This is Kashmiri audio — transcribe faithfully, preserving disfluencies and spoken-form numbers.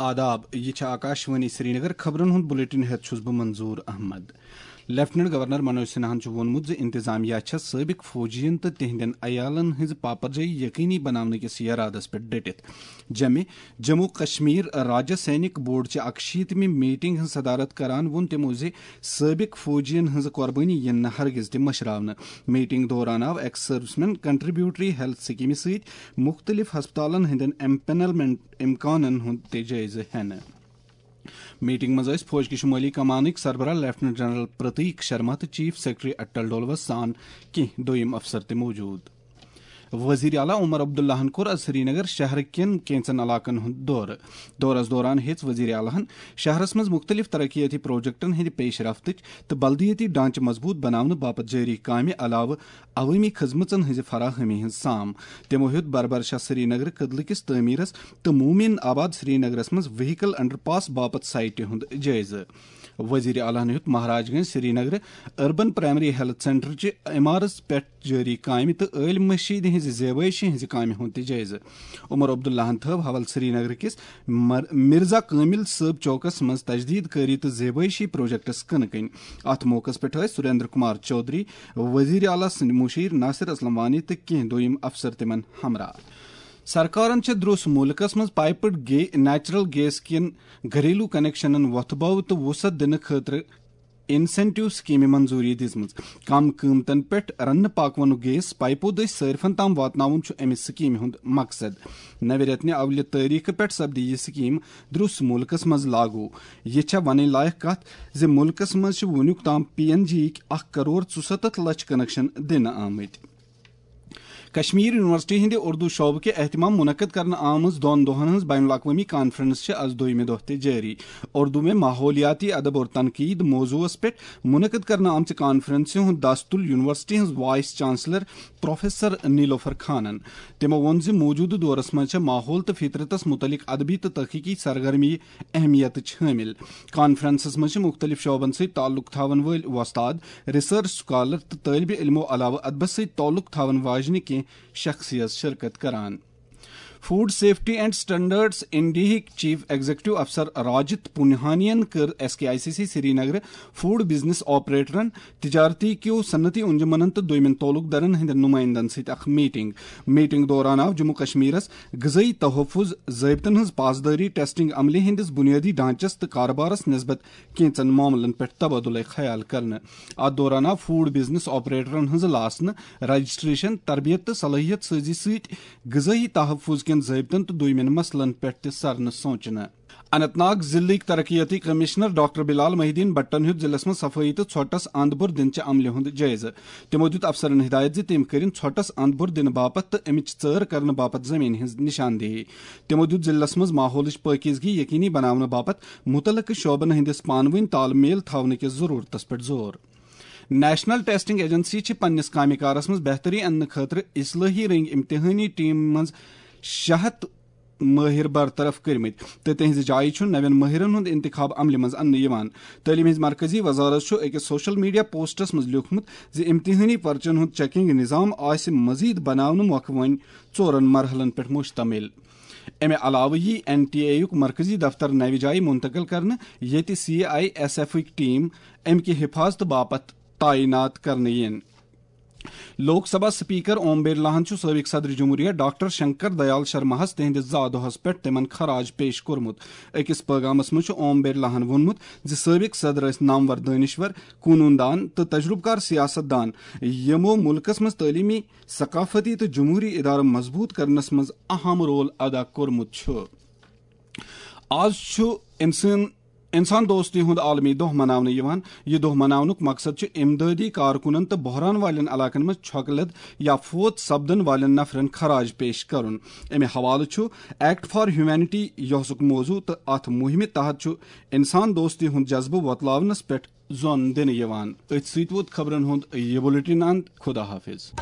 آداب، یہِ چھِ آکاشوانی سرینگر۔ خبرن ہُنٛد بلیٹن ہٮ۪تھ چھُس بہٕ منظور احمد۔ لیفٹیننٹ گورنر منوج سنہاہن چھُ ووٚنمُت زِ انتظامیہ چھےٚ سٲبق فوجین تہٕ تِہنٛدٮ۪ن عیالن ہٕنٛز پاپرجٲیی یقینی بناونہٕ کِس یرادس پٮ۪ٹھ ڈٔٹِتھ۔ جمہِ جموں کشمیر راجہ سینک بورڈ چہِ اکشیٖتمہِ میٹنگ ہٕنٛز صدارت کران ووٚن تِمو زِ سٲبق فوجین ہٕنٛز قۄربٲنی یِن نہٕ ہرگز تہِ مٔشراونہٕ۔ میٹنگ دوران آو ایکس سروسمین کنٹریبیوٹری ہیلتھ سکیمہِ سۭتۍ مختلف ہسپتالن ہٕنٛدٮ۪ن ایمپینلمنٹ امکانن ہُنٛد تہِ جٲیزٕ ہٮ۪نہٕ۔ میٹنگ منٛز ٲسۍ فوج کہِ شمٲلی کمانٕکۍ سربراہ لیفٹیننٹ جنرل پرتیک شرما تہٕ چیف سیکرٹری اٹل ڈولوس سان کینٛہہ دوٚیِم افسر تہِ موجود۔ وزیر اعلیٰ عمر عبداللہن کوٚر از سرینگر شہر کٮ۪ن کینٛژن علاقن ہُنٛد دورٕ۔ دورس دوران ہیٚژ وزیر اعلیٰ ہن شہرس منٛز مختلف ترقیاتی پروجیکٹن ہٕنٛدِ پیش رفتٕچ تہٕ بلدیٲتی ڈھانچہٕ مضبوط بناونہٕ باپتھ جٲری کامہِ علاوٕ عوٲمی خدمژن ہٕنٛزِ فراہمی ہٕنٛز سام۔ تِمو ہیوٚت بربر شاہ سرینگر کدلہٕ کِس تعمیرس تہٕ مومن آباد سرینگرس منٛز وہیکل انڈر پاس باپتھ سائٹہِ ہُنٛد جٲیزٕ۔ وزیر اعلیٰ ہن ہیوٚت Maharaj Gunj Srinagar urban primary health centre چہِ عمارژ پٮ۪ٹھ جٲری کامہِ تہٕ عٲلۍ مشیٖدِ ہٕنٛزِ زیبٲیشہِ ہٕنٛزِ کامہِ ہُنٛد تہِ جٲیزٕ۔ عمر عبداللہن تھٲو حول سرینگرٕ کِس مر-، مرزا کٲمل صٲب چوکس منٛز تجدید کٲری تہٕ زیبٲیشی پروجیکٹس کٕنہٕ کٕنۍ۔ اتھ موقعس پٮ۪ٹھ ٲسۍ سریندر کمار چودھری، وزیر اعلیٰ سٕنٛدۍ مُشیر ناصر اسلم وانی تہٕ کینٛہہ دوٚیِم افسر تِمن ہمراہ۔ سرکارن چھےٚ درٛوس مُلکس منٛز پائپڈ گے-، نیچرل گیس کٮ۪ن گھریلو کنکشنن وۄتھٕ بو تہٕ وُسعت دِنہٕ خٲطرٕ انسینٹیو سکیمہِ منظوری دِژمٕژ۔ کم قۭمتن پٮ۪ٹھ رننہٕ پاکونُک گیس پائپو دٔسۍ صٲرفن تام واتناوُن چھُ امہِ سکیمہِ ہُنٛد مقصد۔ نوِ رٮ۪تنہِ اولہِ تٲریخہٕ پٮ۪ٹھ سپدِ یہِ سکیم درٛوس مُلکس منٛز لاگو۔ یہِ چھےٚ ونٕنۍ لایق کتھ زِ مُلکس منٛز چھِ وُنیُک تام پی این جی یِکۍ اکھ کرور ژُسَتتھ لچھ کنکشن دِنہٕ آمٕتۍ۔ کشمیر یونیورسٹی ہٕنٛدِ اردو شعبہٕ کہِ اہتمام منعقد کرنہٕ آمٕژ دۄن دۄہن ہٕنٛز بین الاقوٲمی کانفرنس چھِ از دوٚیمہِ دۄہ تہِ جٲری۔ اردو میں ماحولیاتی ادب اور تنقید موضوعس پٮ۪ٹھ منعقد کرنہٕ آمژِ کانفرنسہِ ہُنٛد دَس تُل یونیورسٹی ہٕنٛز وائس چانسلر پروفیسر نیلوفر خانن۔ تِمو ووٚن زِ موجودٕ دورس منٛز چھےٚ ماحول تہٕ فطرتس مُتعلق ادبی تہٕ تحقیقی سرگرمی اہمیتٕچ حٲمل۔ کانفرنسس منٛز چھِ مُختٔلِف شعبن سۭتۍ تعلق تھاون وٲلۍ وۄستاد، ریسرچ سکالر تہٕ طٲلبِ علمو علاوٕ ادبس سۭتۍ تعلق تھاون واجنہِ کینٛہہ شخصیت شرکت کران۔ فوڈ سیفٹی اینڈ سٹینڈرڈز انڈیہٕکۍ چیف ایگزیکٹو افسر راجت پونہانین کٔر S K I C C Srinagar food business آپریٹرن، تجارتی کیو صنعتی انجمنن تہٕ دوٚیمٮ۪ن تعلق دارن ہٕنٛدٮ۪ن نمائندن سۭتۍ اکھ میٹنگ۔ میٹنگ دوران آو جموں کشمیرس غذٲئی تحفظ، ضٲبطن ہٕنٛز پاسدٲری، ٹیسٹنگ عملہِ ہٕنٛدِس بنیٲدی ڈھانچس تہٕ کاربارس نسبت کینٛژن معاملن پٮ۪ٹھ تبادلہ خیال کرنہٕ۔ اتھ دوران آو فوڈ بزنس آپریٹرن ہٕنٛز لاسنہٕ، رجسٹریشن، تربیت تہٕ صلٲحیت سٲزی سۭتۍ غذٲئی تحفظ کٮ۪ن ضٲبطن تہٕ دوٚیمٮ۪ن مسلن پٮ۪ٹھ تہِ سرنہٕ سونچنہٕ۔ اننت ناگ ضلعٕکۍ ترقیتی کمشنر ڈاکٹر بلال محی الدین بٹن ہیوٚت ضلعس منٛز صفٲیی تہٕ ژھۄٹس اند بُر دِنہٕ چہِ عملہِ ہُنٛد جٲیزٕ۔ تِمو دیُت افسرن ہدایت زِ تِم کٔرِن ژھۄٹس اند بُر دِنہٕ باپتھ تہٕ امِچ ژٲر کرنہٕ باپتھ زمینہِ ہٕنٛز نشاندہی۔ تِمو دیُت ضلعس منٛز ماحولٕچ پٲکیزگی یقینی بناونہٕ باپتھ مُتعلقہٕ شعبن ہٕنٛدِس پانہٕ وٲنۍ تال میل تھاونہٕ کِس ضروٗرتس پٮ۪ٹھ زور۔ نیشنل ٹیسٹنگ ایجنسی چھِ پننِس کامہِ کارس منٛز بہتری اننہٕ خٲطرٕ اصلٲحی رنگ امتحٲنی ٹیم منٛز شےٚ ہتھ مٲہر برطرف کٔرمٕتۍ تہٕ تِہنٛزِ جایہِ چھُ نوٮ۪ن مٲہرن ہُنٛد انتخاب عملہِ منٛز اننہٕ یِوان۔ تعلیٖم ہٕنٛزِ مرکزی وزارت چھُ أکِس سوشل میڈیا پوسٹس منٛز لیوٗکھمُت زِ امتحٲنی پرچن ہُنٛد چیکنگ نظام آسہِ مزید بناونہٕ مۄکھٕ وۄنۍ ژورن مرحلن پٮ۪ٹھ مشتمل۔ امہِ علاوٕ یی این ٹی اے یُک مرکزی دفتر نوِ جایہِ منتقل کرنہٕ، ییٚتہِ سی آئی ایس ایفٕکۍ ٹیم امہِ کہِ حفاظتہٕ باپتھ تعینات کرنہٕ یِن۔ لوک سبھا سپیکر اوم برلاہن چھُ سٲبق صدر جمہوریہ ڈاکٹر شنکر دیال شرماہس تِہنٛدِس زا دۄہس پٮ۪ٹھ تِمن خراج پیش کوٚرمُت۔ أکِس پٲغامس منٛز چھُ اوم برلاہن ووٚنمُت زِ سٲبق صدر ٲسۍ نامور دٲنِشور، قونوٗن دان تہٕ تجرُبہٕ کار سیاست دان، یِمو مُلکس منٛز تعلیٖمی، ثقافتی تہٕ جمہوٗری ادارٕ مضبوٗط کرنس منٛز اہم رول ادا کوٚرمُت چھُ۔ آز چھُ انسان انسان دوستی ہُنٛد عالمی دۄہ مناونہٕ یِوان۔ یہِ دۄہ مناونُک مقصد چھُ امدٲدی کارکُنن تہٕ بحران والٮ۪ن علاقن منٛز چھۄکہٕ لد یا فوت سپدن والٮ۪ن نفرن خراج پیش کرُن۔ امہِ حوالہٕ چھُ ایکٹ فار ہیومینٹی یۄسُک موضوع تہٕ اتھ مُہِمہِ تحت چھُ انسان دوستی ہُنٛد جذبہٕ وۄتلاونس پٮ۪ٹھ زۄن دِنہٕ یِوان۔ أتھۍ سۭتۍ ووت خبرن ہُنٛد یہِ بُلیٹن اند۔ خدا حافظ۔